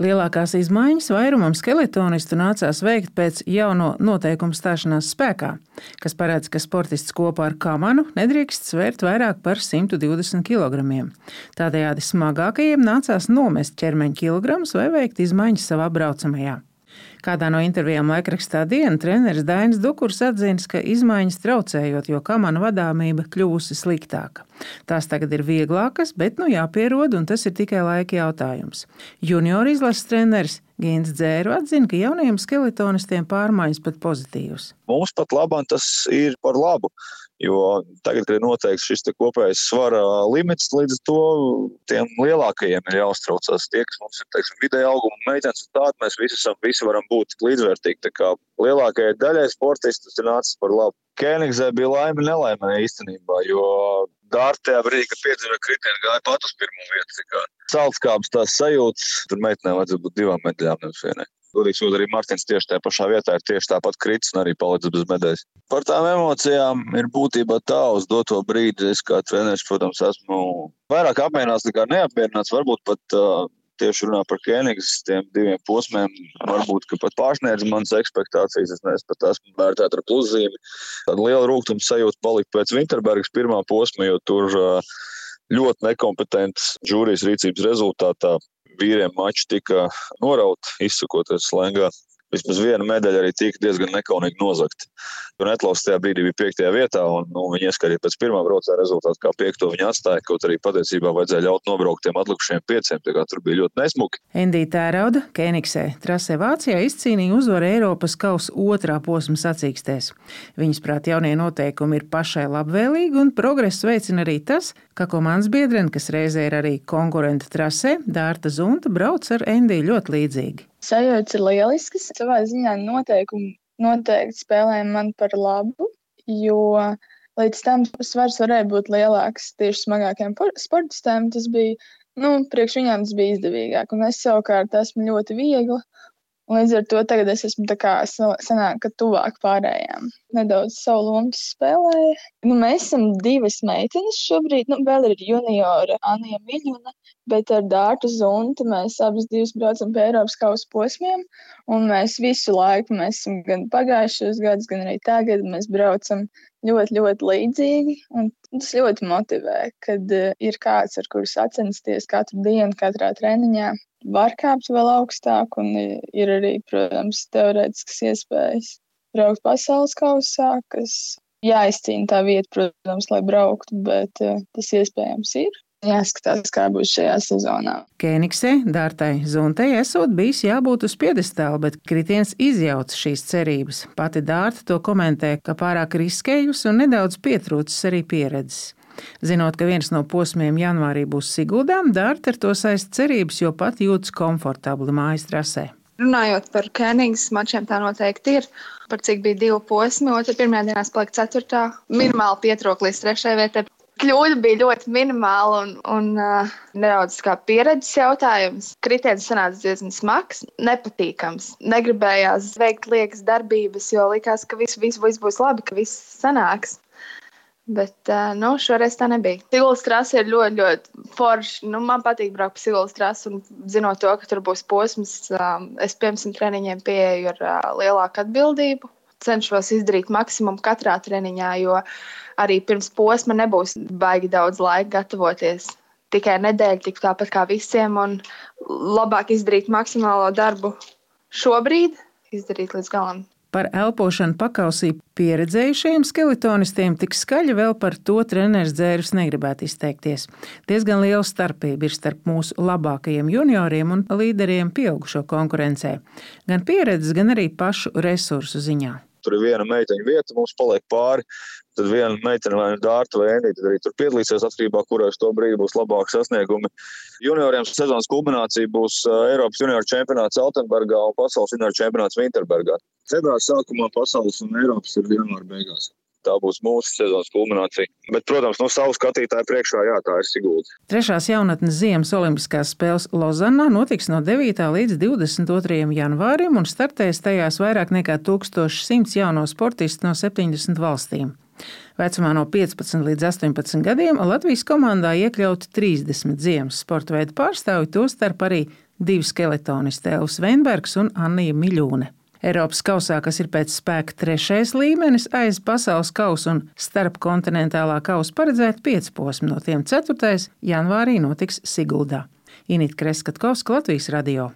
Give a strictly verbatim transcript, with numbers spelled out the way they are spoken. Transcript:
Lielākās izmaiņas vairumam skeletonistu nācās veikt pēc jauno noteikumu stāšanās spēkā, kas paredz, ka sportists kopā ar kamanu nedrīkst svērt vairāk par simt divdesmit kilogramiem. Tādējādi smagākajiem nācās nomest ķermeņa kilogramus vai veikt izmaiņas savā braucamajā. Kādā no intervijām laikrakstā Diena treneris Dainis Dukurs atzīst, ka izmaiņas traucējot, jo kamana vadāmība kļūsi sliktāka. Tās tagad ir vieglākas, bet nu jāpierod, un tas ir tikai laika jautājums. Junioru izlases treneris Gints Dzēru atzina, ka jaunajiem skeletonistiem pārmaiņas pat pozitīvas. Mums pat labāk tas ir par labu, jo tagad, kad ir noteikts šis kopējais svara limits, līdz to tiem lielākajiem ir jāuztraucās. Tie, kas mums ir, teiksim, vidēja auguma meitenes un tādi, mēs visi, esam, visi varam būt līdzvērtīgi. Tā kā lielākajai daļai sportisti tas ir nācis par labu. Kēnigsē bija laime nelaimē īstenībā, jo dārtajā brīdī, kad piedzima kritieni, gāja pat uz pirmo vietu. Celtskābes tās sajūtas, tur meitenēm vajadzētu būt divām medaļām, nevis vienai. Godīgi sakot, arī Martins tieši tajā pašā vietā ir tieši tāpat kritis un arī palicis bez medaļas. Par tām emocijām ir būtībā tā uz doto brīdi. Es kā treneris, protams, esmu vairāk apmierināts nekā neapmierināts. Varbūt pat uh, tieši runā par Kēnigas tiem diviem posmiem. Varbūt, ka pat pārsniedz manas ekspektācijas. Es neesmu pat esmu vērtēt ar pluszīmi. Tāda liela rūgtuma sajūta palika pēc Vinterbergas pirmā posma, jo tur uh, ļoti nekompetents žūrijas rīcības rezultātā vīriem mači tika norauti, izsakoties slēngā. Vismaz viena medaļa arī tika diezgan nekaunīgi nozagta. Netlaus tajā brīdī bija piektajā vietā, un nu, viņi ieskatīja pēc pirmā braucēja rezultātu, kā piekto viņi atstāja, kaut arī patiesībā vajadzēja ļaut nobraukt tiem atlikušiem pieciem, tā kā tur bija ļoti nesmuki. Endija Tērauda Kēnigsē trasē Vācijā izcīnīja uzvaru Eiropas kausa otrā posma sacīkstēs. Viņas prāt jaunie noteikumi ir pašai labvēlīgi, un progresu veicina arī tas, ka komandas biedrene, kas reizē ir arī konkurenta trasē, Dārta Zunta, brauc ar Endiju ļoti līdzīgi. Sajūtas ir lieliskas. Savā ziņā noteikumi noteikti spēlēja man par labu, jo līdz tam svars varēja būt lielāks tieši smagākiem sportistiem. Tas bija, nu, priekš viņām tas bija izdevīgāk. Un es savukārt esmu ļoti viegla. Līdz ar to tagad es esmu tā kā sanāk, ka tuvāk pārējām. Nedaudz savu lomu spēlēju. Nu, mēs esam divas meitenes šobrīd. Nu, vēl ir juniora Anija Miļuna, bet ar Dārtu Zuntu mēs abas divas braucam pie Eiropas kausa posmiem. Un mēs visu laiku, mēs esam gan pagājušos gadus, gan arī tagad, mēs braucam ļoti, ļoti līdzīgi. Un tas ļoti motivē, kad uh, ir kāds, ar kuru sacensties katru dienu, katrā treniņā. Var kāpt vēl augstāk, un ir arī, protams, teorētiskas iespējas braukt pasaules kausā, kas jāizcīna tā vieta, protams, lai brauktu, bet uh, tas iespējams ir. Jāskatās, kā būs šajā sezonā. Kēnigsē Dārtai Zuntai esot bijis jābūt uz piedestāla, bet kritiens izjauca šīs cerības. Pati Dārta to komentē, ka pārāk riskējusi un nedaudz pietrūcis arī pieredzes. Zinot, ka viens no posmiem janvārī būs Siguldā, Dārta ar to saist cerības, jo pat jūtas komfortabli mājas trasē. Runājot par Kēnigas mačiem, tā noteikti ir. Par cik bija divi posmi, otrā pirmajā dienā palika ceturtā. Minimāli pietrūka līdz trešajai vietai. Kļūda bija ļoti minimāla un, un uh, nedaudz kā pieredzes jautājums. Kritiens sanāca diezgan smags, nepatīkams. Negribējās veikt liekas darbības, jo likās, ka viss vis, vis būs labi, ka viss sanāks. Bet uh, nu, šoreiz tā nebija. Siguldas trase ir ļoti, ļoti forši. Nu, man patīk braukt pa Siguldas trasi un zinot to, ka tur būs posms, uh, es piemēram treniņiem pieeju ar uh, lielāku atbildību. Cenšos izdarīt maksimumu katrā treniņā, jo arī pirms posma nebūs baigi daudz laika gatavoties. Tikai nedēļa, tik tāpat kā visiem, un labāk izdarīt maksimālo darbu šobrīd, izdarīt līdz galam. Par elpošanu pakausī pieredzējušajiem skeletonistiem tik skaļi vēl par to treneris Dzērs negribētu izteikties. Diezgan liela starpība ir starp mūsu labākajiem junioriem un līderiem pieaugušo konkurencē. Gan pieredzes, gan arī pašu resursu ziņā. Tur ir viena meiteņa vieta, mums paliek pāri. Tad viena meitene vai Dārta vai Endija, tad arī tur piedalīsies atkarībā, kurās to brīdi būs labāki sasniegumi. Junioriem sezonas kulminācija būs Eiropas junioru čempionāts Altenbergā un pasaules junioru čempionāts Vinterbergā. Februāra sākumā pasaules un Eiropas ir janvāra beigās. Tā būs mūsu sezonas kulminācija. Bet, protams, no savu skatītāju priekšā, jā, tā ir Sigulda. Trešās jaunatnes ziemas olimpiskās spēles Lozannā notiks no devītā līdz divdesmit otrajam janvārim un startēs tajās vairāk nekā tūkstoš simts jauno sportistu no septiņdesmit valstīm. Vecumā no piecpadsmit līdz astoņpadsmit gadiem Latvijas komandā iekļauti trīsdesmit ziemas sporta veidu pārstāvji, tostarp arī divi skeletonisti Elvis Veinbergs un Annija Miļūne. Eiropas kausā, kas ir pēc spēka trešais līmenis aiz pasaules kausa un starpkontinentālā kausa, paredzēta pieci posmi, no tiem ceturtais janvārī notiks Siguldā. Inita Kreskatkovska, Latvijas radio.